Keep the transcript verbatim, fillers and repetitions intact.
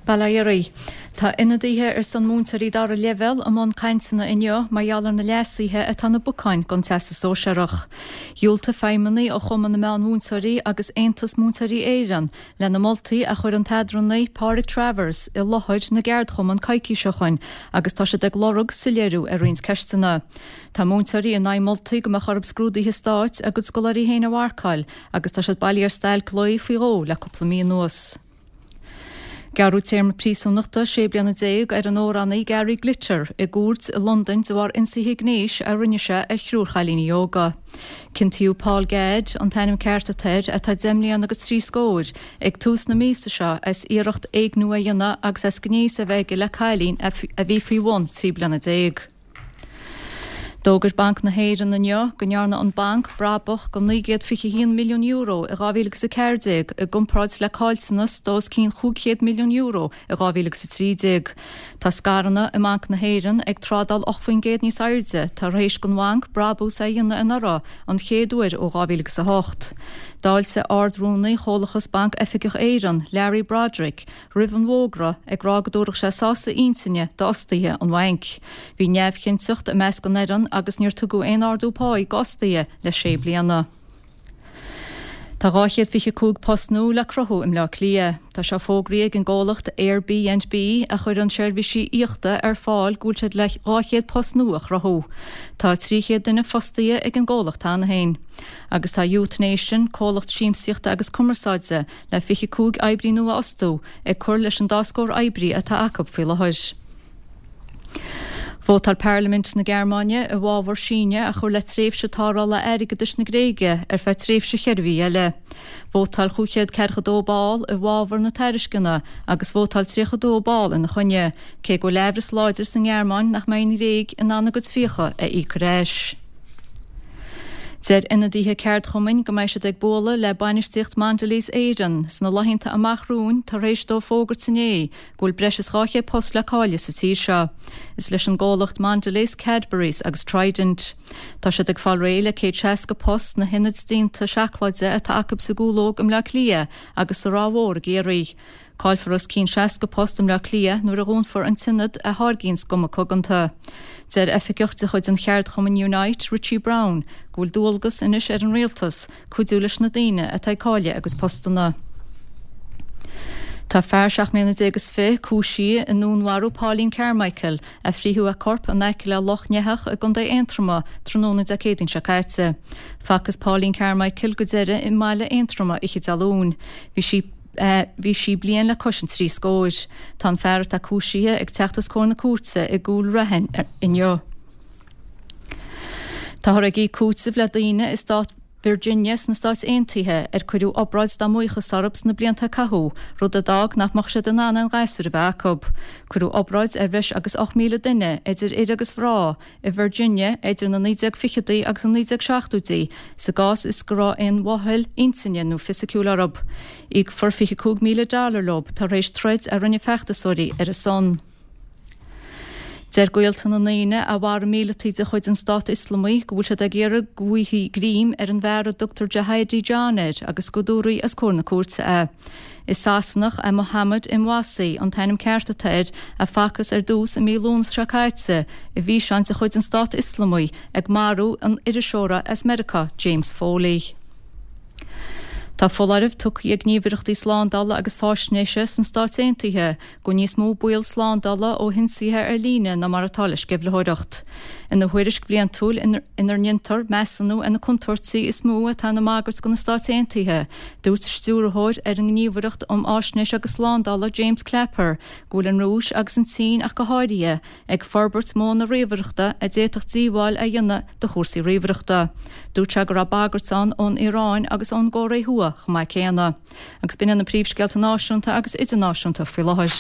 Bail ó Dhia oraibh. Tá ionadaithe ar son múinteoirí dara leibhéal i mbun cainteanna inniu mar gheall ar na leasuithe atá na bacáin don Teastas Sóisearach. Dhiúltaigh feidhmeannaigh ó Chumann na Meánmhúinteoirí agus Aontas Múinteoirí Éireann le na moltaí a chuir an t-eadránaí Pádraig Travers i láthair na gceardchumann coicís ó shin agus tá siad ag lorg soiléiriú ar roinnt ceisteanna. Tá múinteoirí in aghaidh moltaí go mbeadh orthu scrúduithe stáit a gcuid scoláirí féin a mharcáil agus tá siad bailithe ar stailc lae faoi dhó le cúpla mí anuas. Gearradh téarma príosúnachta sé bliana déag ar an amhránaí Gary Glitter i gcúirt i Londain de bharr ionsaithe gnéis a rinne sé ar thriúr chailíní óga. Ciontaíodh Paul Gadd an t-ainm ceart atá air atá deich mbliana agus trí scór ag tús na míosa seo as iarracht éigniú a dhéanamh agus as gnéas a bheith aige le cailín a bhí faoi bhun trí bliana déag. D'fhógair Banc na hÉireann inniu go ndearna an banc brabach de naoi gcéad fiche haon milliún euro i dhá mhíle agus a ceathair déag i gcomparáid le caillteanas de os cionn chúig chéad milliún euro i dhá mhíle agus a trí déag. Tá scaireanna i mBanc na hÉireann ag trádáil ocht faoin gcéad níos airde tar éis don bhanc brabús a dhéanamh anuraidh an chéad uair ó dhá mhíle agus a hocht. D'fháiltigh Ard-Rúnaí Chomhlachas Banc Oifigeach Éireann, Larry Broderick, roimh an bhfógra ag rá go dtabharfadh sé sásamh intinne d'fhostaithe an bhainc. Bhí neamhchinnteacht i measc an fhoireann agus níor tugadh aon ardú páí d'fhostaithe le sé bliana. Tá dhá chéad fiche cúig post nua le cruthú i mBleá Cliath. Tá sé fógraithe ag an gcomhlacht Airbnb a chuireann seirbhísí aíochta ar fáil go bhfuil siad le dhá chéad post nua a chruthú. Tá trí chéad duine fostaithe ag an gcomhlacht cheana féin. Agus tá Youth Nation, comhlacht siamsaíochta agus cumarsáide, le fiche cúig oibrí nua a fhostú, ag cur leis an dá scór oibrí atá acu faoi láthair. Vótáil Parlaimint na Gearmáine i bhfabhar síneadh a chur le tréimhse tarrthála airgeadais na Gréige ar feadh tréimhse cheithre mhí eile. Vótáil cúig chéad ceathracha dó ball i bhfabhar na tairisceana agus vótáil tríocha dó ball ina choinne, cé go bhfuil aimhreas láidir sa nGearmáin nach mbeidh an Ghréig in ann a gcuid fiacha a íoc ar ais. Deir ionadaithe ceardchumainn go mbeidh siad ag bualadh le bainistíocht Mondelez Éireann sna laethanta amach romhainn tar éis dóibh fógairt inné go bhfuil breis is dhá chéad post le cailleadh sa tír seo. Is leis an gcomhlacht Mondelez, Cadbury's agus Trident. Tá siad ag fáil réidh le céad seasca post sna hionaid déanta seacláide atá acu sa gCúlóg i mBleá Cliath agus sa Ráth Mhór i gCiarraí. Caillfear os cionn seasca post i mBleá Cliath nuair a dhúnfar an t-ionad a tháirgíonn guma coganta. Deir oifigeach de chuid an cheardchumainn Unite, Richie Brown, go bhfuil dualgas anois ar an rialtas cuidiú leis na daoine atá ag cailleadh a gcuid postanna. Tá fear seacht mbliana déag is fiche cúisithe i ndúnmharú Pauline Carmichael a frítheadh a corp in aice le Loch nEathach i gContae Aontroma tráthnóna Dé Céadaoin seo caite. Facthas Pauline Carmichael go deireadh i mbaile Aontroma oíche Dé Luain. Bhí sí Bhí sí bliain le cois an trí scóir. Tá an fear atá cúisithe ag teacht os comhair na cúirte i gCúil Raithin inniu. Táthar ag íoc cúitimh le daoine i stát Virginia sna Stáit Aontaithe ar cuireadh obráid dá mbuíochas orthu sna blianta a caitheadh, rud a d'fhág nach mbeadh siad in ann aon ghasúir a bheith acu. Cuireadh obráid ar bhreis agus ocht míle duine, idir fhir agus mhná, i Virginia idir na naoi déag fichidí agus an naoi déag seachtóidí sa gcás is go raibh aon mhoill intinne nó fisiciúil orthu. Íocfar fiche cúig míle dollar leo tar éis troid a rinne feachtasóirí ar a son. Deir gaolta na ndaoine a mharaigh míleataigh de chuid an Stát Ioslamaigh go bhfuil siad ag iarraidh go bhfaighfí greim ar an bhfear a dtugtar Jihadi John air agus go dtabharfaí os comhair na cúirte é. Is Sasanach é Mohammed Emwazi an t-ainm ceart atá air, a facthas ar dtús i mí Lúnasa seo caite i bhfíseán de chuid an Stát Ioslamaigh ag marú an iriseora as Meiriceá, James Foley. Tá foláireamh tugtha ag gníomhaireachtaí slándála agus faisnéise sna Stáit Aontaithe go bhfuil níos mó baol slándála ó hionsaithe ar líne ná mar atá le sceimhlitheoireacht. Ina thuairisc bhliantúil inar ndéantar measúnú ar na contúirtí is mó atá ina mbagairt do na Stáit Aontaithe, dúirt Stiúrthóir ar an nGníomhaireacht um Fháisnéis agus Slándála James Clapper go bhfuil an Rúis agus an tSín ach go háirithe ag forbairt modhanna ríomhaireachta a d'fhéadfadh díobháil a dhéanamh do chúrsaí ríomhaireachta. Dúirt sé go raibh bagairt ann ón Iaráin agus ón gCóiré Thuaidh chomh maith céanna. Agus b'in iad na príomhscéalta náisiúnta agus idirnáisiúnta faoi láthair.